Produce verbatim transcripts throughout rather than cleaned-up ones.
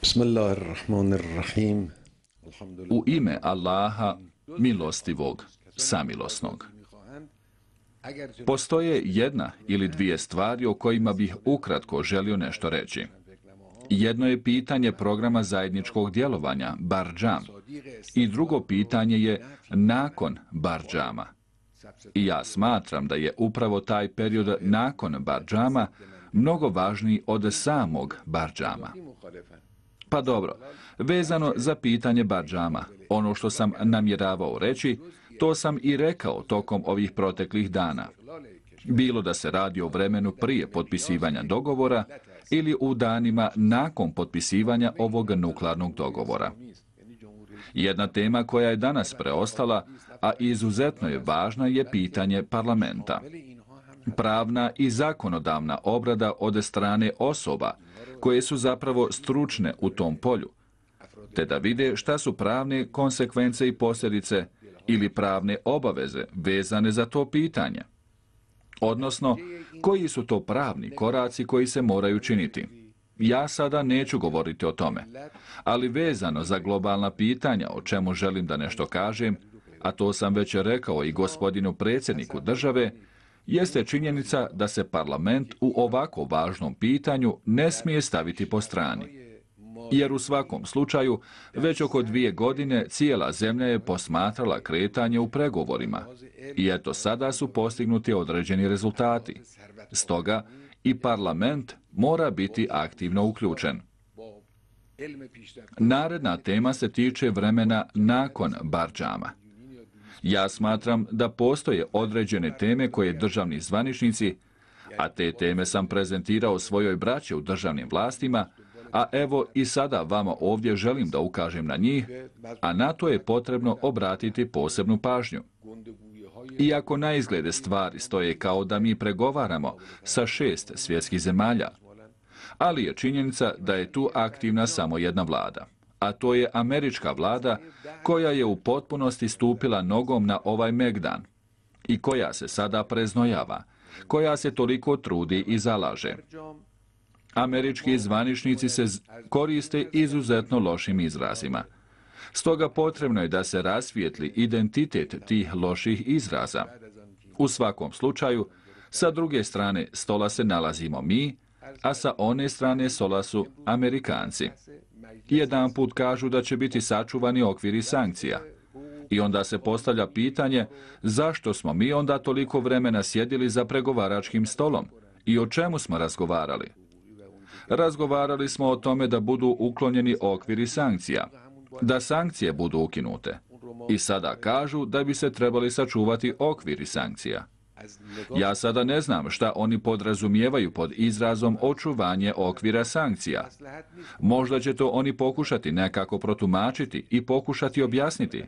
Bismillahirrahmanirrahim. U ime Allaha, milostivog, samilosnog. Postoje jedna ili dvije stvari o kojima bih ukratko želio nešto reći. Jedno je pitanje programa zajedničkog djelovanja, Barđam, i drugo pitanje je nakon Barđama. I ja smatram da je upravo taj period nakon Barđama mnogo važniji od samog Barđama. Pa dobro, vezano za pitanje Barđama, ono što sam namjeravao reći, to sam i rekao tokom ovih proteklih dana. Bilo da se radi o vremenu prije potpisivanja dogovora ili u danima nakon potpisivanja ovog nuklearnog dogovora. Jedna tema koja je danas preostala, a izuzetno je važna, je pitanje parlamenta. Pravna i zakonodavna obrada od strane osoba koje su zapravo stručne u tom polju, te da vide šta su pravne konsekvence i posljedice ili pravne obaveze vezane za to pitanje. Odnosno, koji su to pravni koraci koji se moraju činiti. Ja sada neću govoriti o tome, ali vezano za globalna pitanja o čemu želim da nešto kažem, a to sam već rekao i gospodinu predsjedniku države, jeste činjenica da se parlament u ovako važnom pitanju ne smije staviti po strani. Jer u svakom slučaju, već oko dvije godine cijela zemlja je posmatrala kretanje u pregovorima. I eto sada su postignuti određeni rezultati. Stoga i parlament mora biti aktivno uključen. Naredna tema se tiče vremena nakon Barđama. Ja smatram da postoje određene teme koje državni zvaničnici, a te teme sam prezentirao svojoj braći u državnim vlastima, a evo i sada vama ovdje želim da ukažem na njih, a na to je potrebno obratiti posebnu pažnju. Iako na izglede stvari stoje kao da mi pregovaramo sa šest svjetskih zemalja, ali je činjenica da je tu aktivna samo jedna vlada, a to je američka vlada koja je u potpunosti stupila nogom na ovaj megdan i koja se sada preznojava, koja se toliko trudi i zalaže. Američki zvaničnici se koriste izuzetno lošim izrazima. Stoga potrebno je da se rasvijetli identitet tih loših izraza. U svakom slučaju, sa druge strane stola se nalazimo mi, a sa one strane stola su Amerikanci. Jedan put kažu da će biti sačuvani okviri sankcija. I onda se postavlja pitanje zašto smo mi onda toliko vremena sjedili za pregovaračkim stolom i o čemu smo razgovarali. Razgovarali smo o tome da budu uklonjeni okviri sankcija, da sankcije budu ukinute. I sada kažu da bi se trebali sačuvati okviri sankcija. Ja sada ne znam šta oni podrazumijevaju pod izrazom očuvanje okvira sankcija. Možda će to oni pokušati nekako protumačiti i pokušati objasniti.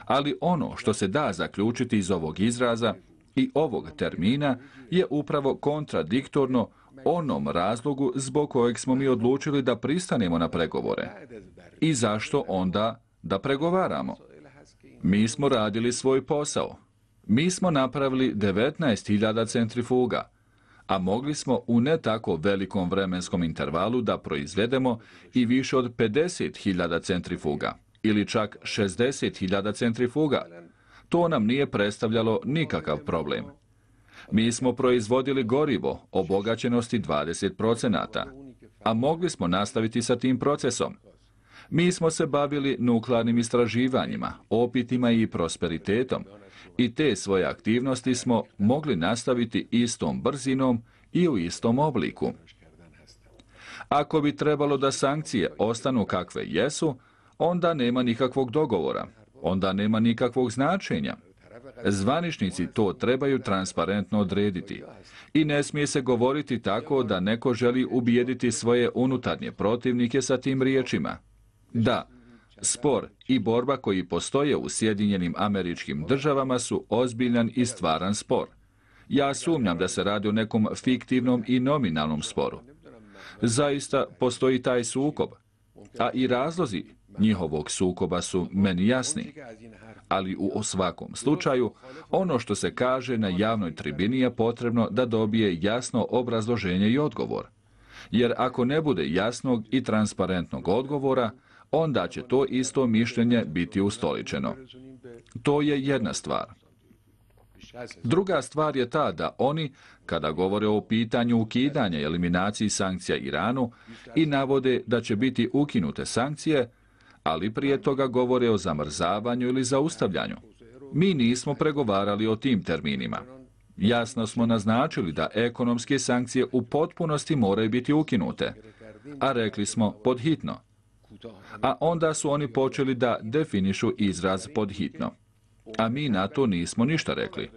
Ali ono što se da zaključiti iz ovog izraza i ovog termina je upravo kontradiktorno onom razlogu zbog kojeg smo mi odlučili da pristanemo na pregovore. I zašto onda da pregovaramo? Mi smo radili svoj posao. Mi smo napravili devetnaest hiljada centrifuga, a mogli smo u ne tako velikom vremenskom intervalu da proizvedemo i više od pedeset hiljada centrifuga, ili čak šezdeset hiljada centrifuga. To nam nije predstavljalo nikakav problem. Mi smo proizvodili gorivo obogaćenosti dvadeset procenata, a mogli smo nastaviti sa tim procesom. Mi smo se bavili nuklearnim istraživanjima, opitima i prosperitetom, i te svoje aktivnosti smo mogli nastaviti istom brzinom i u istom obliku. Ako bi trebalo da sankcije ostanu kakve jesu, onda nema nikakvog dogovora, onda nema nikakvog značenja. Zvaničnici to trebaju transparentno odrediti. I ne smije se govoriti tako da neko želi ubijediti svoje unutarnje protivnike sa tim riječima. Da, spor i borba koji postoje u Sjedinjenim Američkim Državama su ozbiljan i stvaran spor. Ja sumnjam da se radi o nekom fiktivnom i nominalnom sporu. Zaista postoji taj sukob, a i razlozi njihovog sukoba su meni jasni. Ali u svakom slučaju, ono što se kaže na javnoj tribini je potrebno da dobije jasno obrazloženje i odgovor. Jer ako ne bude jasnog i transparentnog odgovora, onda će to isto mišljenje biti ustoličeno. To je jedna stvar. Druga stvar je ta da oni, kada govore o pitanju ukidanja i eliminaciji sankcija Iranu i navode da će biti ukinute sankcije, ali prije toga govore o zamrzavanju ili zaustavljanju. Mi nismo pregovarali o tim terminima. Jasno smo naznačili da ekonomske sankcije u potpunosti moraju biti ukinute, a rekli smo podhitno. A onda su oni počeli da definišu izraz podhitno. A mi na to nismo ništa rekli.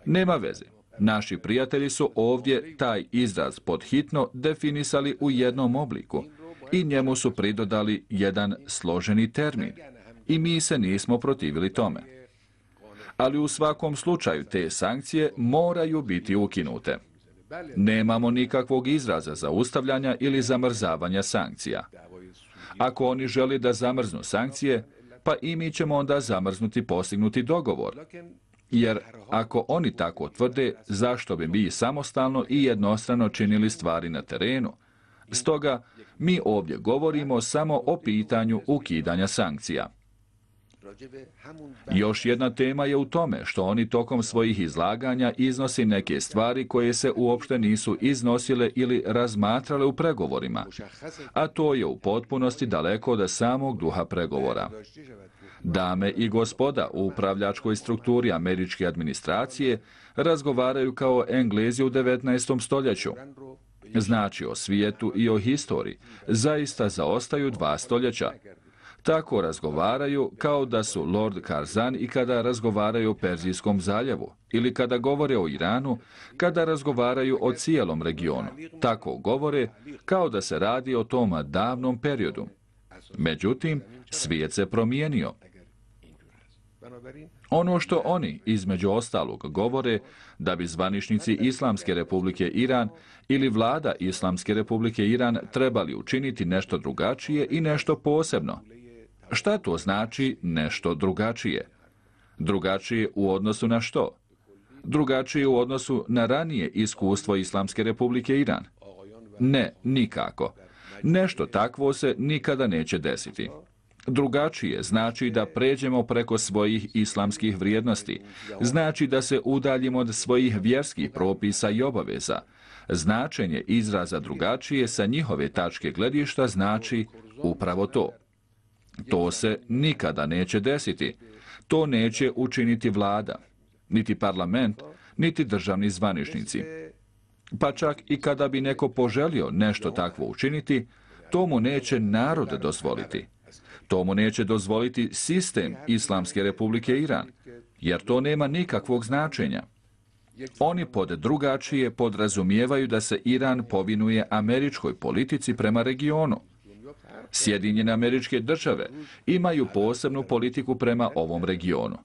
Nema veze. Naši prijatelji su ovdje taj izraz podhitno definisali u jednom obliku i njemu su pridodali jedan složeni termin. I mi se nismo protivili tome. Ali u svakom slučaju te sankcije moraju biti ukinute. Nemamo nikakvog izraza zaustavljanja ili zamrzavanja sankcija. Ako oni žele da zamrznu sankcije, pa i mi ćemo onda zamrznuti postignuti dogovor. Jer ako oni tako tvrde, zašto bi mi samostalno i jednostrano činili stvari na terenu? Stoga, mi ovdje govorimo samo o pitanju ukidanja sankcija. Još jedna tema je u tome što oni tokom svojih izlaganja iznosi neke stvari koje se uopšte nisu iznosile ili razmatrale u pregovorima, a to je u potpunosti daleko od samog duha pregovora. Dame i gospoda u upravljačkoj strukturi američke administracije razgovaraju kao Englezi u devetnaestom stoljeću. Znači o svijetu i o historiji zaista zaostaju dva stoljeća. Tako razgovaraju kao da su Lord Curzon i kada razgovaraju o Perzijskom zaljevu, ili kada govore o Iranu, kada razgovaraju o cijelom regionu. Tako govore kao da se radi o tom davnom periodu. Međutim, svijet se promijenio. Ono što oni, između ostalog, govore da bi zvaničnici Islamske republike Iran ili vlada Islamske republike Iran trebali učiniti nešto drugačije i nešto posebno. Šta to znači nešto drugačije? Drugačije u odnosu na što? Drugačije u odnosu na ranije iskustvo Islamske republike Iran? Ne, nikako. Nešto takvo se nikada neće desiti. Drugačije znači da pređemo preko svojih islamskih vrijednosti, znači da se udaljimo od svojih vjerskih propisa i obaveza. Značenje izraza drugačije sa njihove tačke gledišta znači upravo to. To se nikada neće desiti. To neće učiniti vlada, niti parlament, niti državni zvaničnici. Pa čak i kada bi neko poželio nešto takvo učiniti, to mu neće narod dozvoliti. To mu neće dozvoliti sistem Islamske republike Iran, jer to nema nikakvog značenja. Oni pod drugačije podrazumijevaju da se Iran povinuje američkoj politici prema regionu. Sjedinjene Američke Države imaju posebnu politiku prema ovom regionu.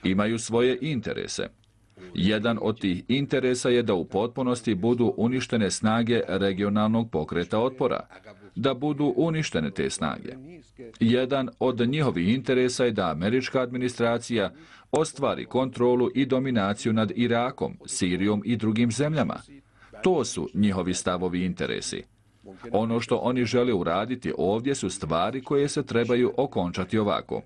Imaju svoje interese. Jedan od tih interesa je da u potpunosti budu uništene snage regionalnog pokreta otpora, da budu uništene te snage. Jedan od njihovih interesa je da američka administracija ostvari kontrolu i dominaciju nad Irakom, Sirijom i drugim zemljama. To su njihovi stavovi interesi. Ono što oni žele uraditi ovdje su stvari koje se trebaju okončati ovako.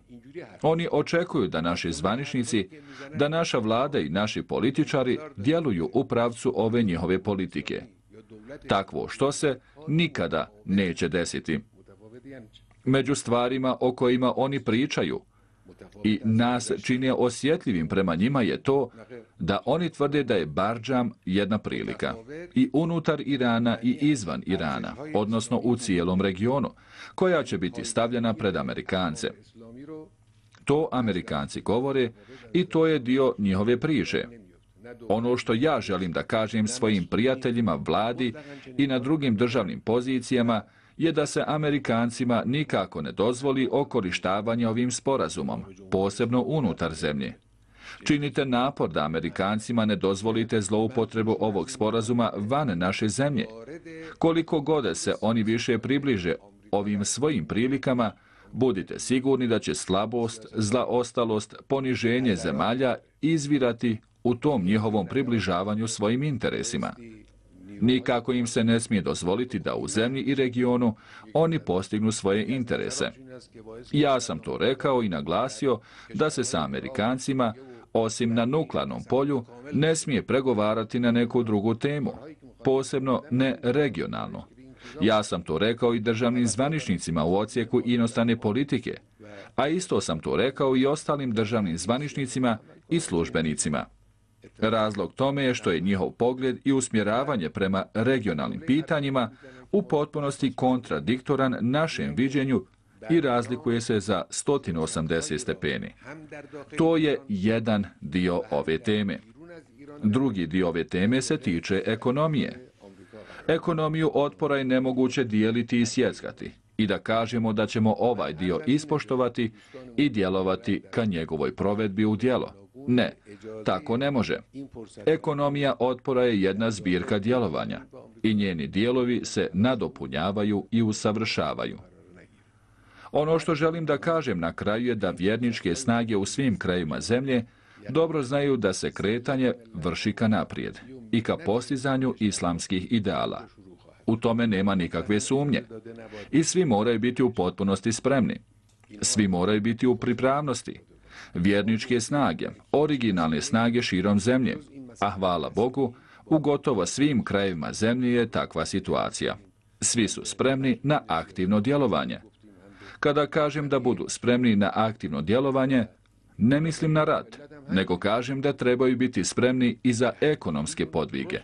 Oni očekuju da naši zvaničnici, da naša vlada i naši političari djeluju u pravcu ove njihove politike. Takvo što se nikada neće desiti. Među stvarima o kojima oni pričaju i nas čine osjetljivim prema njima je to da oni tvrde da je Bardžam jedna prilika i unutar Irana i izvan Irana, odnosno u cijelom regionu, koja će biti stavljena pred Amerikance. To Amerikanci govore i to je dio njihove priče. Ono što ja želim da kažem svojim prijateljima, vladi i na drugim državnim pozicijama je da se Amerikancima nikako ne dozvoli okorištavanje ovim sporazumom, posebno unutar zemlje. Činite napor da Amerikancima ne dozvolite zloupotrebu ovog sporazuma van naše zemlje. Koliko god se oni više približe ovim svojim prilikama, budite sigurni da će slabost, zlaostalost, poniženje zemalja izvirati u tom njihovom približavanju svojim interesima. Nikako im se ne smije dozvoliti da u zemlji i regionu oni postignu svoje interese. Ja sam to rekao i naglasio da se sa Amerikancima, osim na nuklearnom polju, ne smije pregovarati na neku drugu temu, posebno ne regionalno. Ja sam to rekao i državnim zvaničnicima u odsjeku inostrane politike, a isto sam to rekao i ostalim državnim zvaničnicima i službenicima. Razlog tome je što je njihov pogled i usmjeravanje prema regionalnim pitanjima u potpunosti kontradiktoran našem viđenju i razlikuje se za sto osamdeset stepeni. To je jedan dio ove teme. Drugi dio ove teme se tiče ekonomije. Ekonomiju otpora je nemoguće dijeliti i sjeckati i da kažemo da ćemo ovaj dio ispoštovati i djelovati ka njegovoj provedbi u djelo. Ne, tako ne može. Ekonomija otpora je jedna zbirka djelovanja i njeni dijelovi se nadopunjavaju i usavršavaju. Ono što želim da kažem na kraju je da vjerničke snage u svim krajevima zemlje dobro znaju da se kretanje vrši ka naprijed i ka postizanju islamskih ideala. U tome nema nikakve sumnje. I svi moraju biti u potpunosti spremni. Svi moraju biti u pripravnosti. Vjerničke snage, originalne snage širom zemlje, a hvala Bogu, u gotovo svim krajevima zemlje je takva situacija. Svi su spremni na aktivno djelovanje. Kada kažem da budu spremni na aktivno djelovanje, ne mislim na rat, nego kažem da trebaju biti spremni i za ekonomske podvige,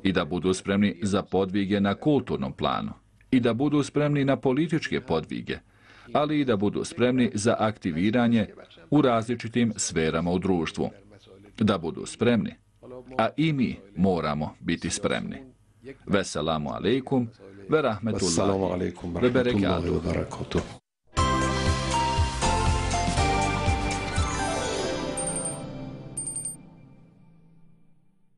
i da budu spremni za podvige na kulturnom planu, i da budu spremni na političke podvige, ali i da budu spremni za aktiviranje u različitim sferama u društvu. Da budu spremni, a i mi moramo biti spremni. Veselamu alaikum, ve rahmetullahi, ve berekatuh.